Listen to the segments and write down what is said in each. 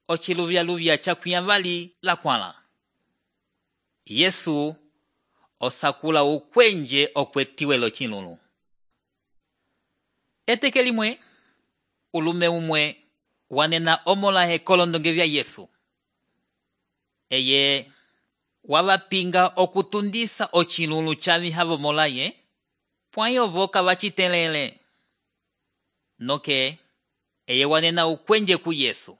ociluvyaluvya cakwiyavali lakwãla. Yesu osakula ukwenje okwetiwe l'ocilulu. Eteke limwe, ulume umwe wanena omolahe k'olondonge vya Yesu. Eye wavapinga okutundisa ocilulu caviha vomolaye, pwãyi ovo kavacitelele. Noke, eye wanena ukwenje ku Yesu.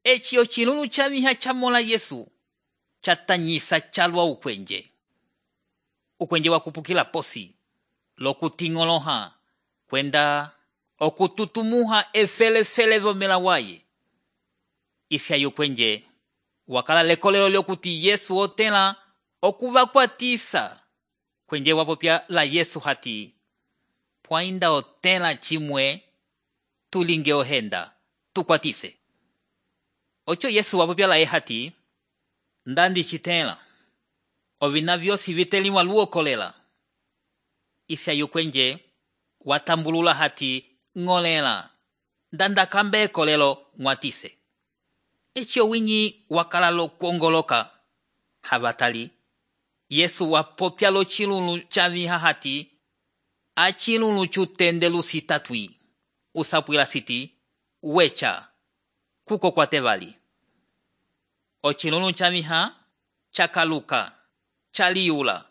Eci ocilulu caviha camola Yesu catanyisa calwa ukwenje. Ukwenje wakupukila posi, lokuting'oloha, kwenda okututumuha efelefele vomela waye. Ifya yukwenje wakala lekolelo lyokuti Yesu otela okuvakwatisa. Kwenje wapopya la Yesu hati, pwainda otela chimwe tulinge ohenda tukwatise. Ocho Yesu wapopya la hati, ndandi chitela ovina vyosi viteliwa luokolela. Ifya yukwenje watambulula hati ng'olela, ndanda kambe ekolelo ng'watise. Echo winyi wakala lokuongoloka havatali. Yesu wapopya lo chilulu caviha hati, achilulu chutendelu sitatwi, usapwila siti, wecha, kuko kwatevali. Ochilulu caviha chakaluka, chaliula,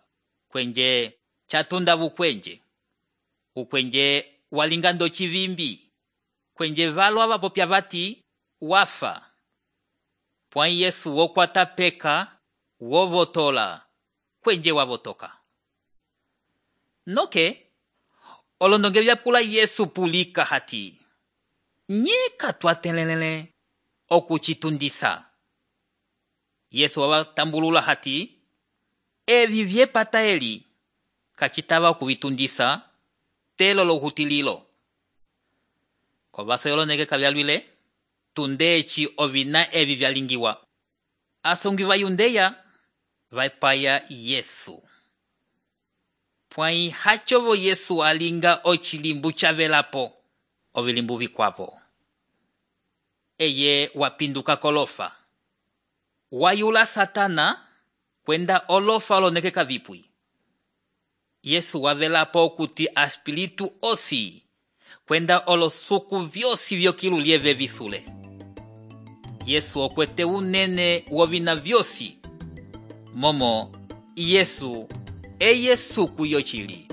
kwenje chatunda vukwenje. Ukwenje walingando chivimbi, kwenje valwa vapopya vati, wafa. Pwãyi Yesu wokwata peka, wovotola, kwenje wavotoka. Noke, olondonge vyapula Yesu pulika hati, nyeka twatelelele okuchitundisa. Yesu wawatambulula hati, evi vyepata eli, kachitava kuvitundisa, telo lohutililo. Kovaso yoloneke kavyalwile, tundechi ovina evi vyalingiwa. Asongi vayundeya, vaipaya Yesu. Pwãyi hachovo Yesu alinga ochilimbu chavelapo, ovilimbu vikwapo. Eye wapinduka kolofa. Wayula Satana, kwenda olofa oloneke kavipwi. Yesu wavelapo kuti aspiritu osi, kwenda olosuku vyosi vyokilu lieve visule. Yesu okwete unene wovina vyosi. Momo, Yesu, eye suku yochili.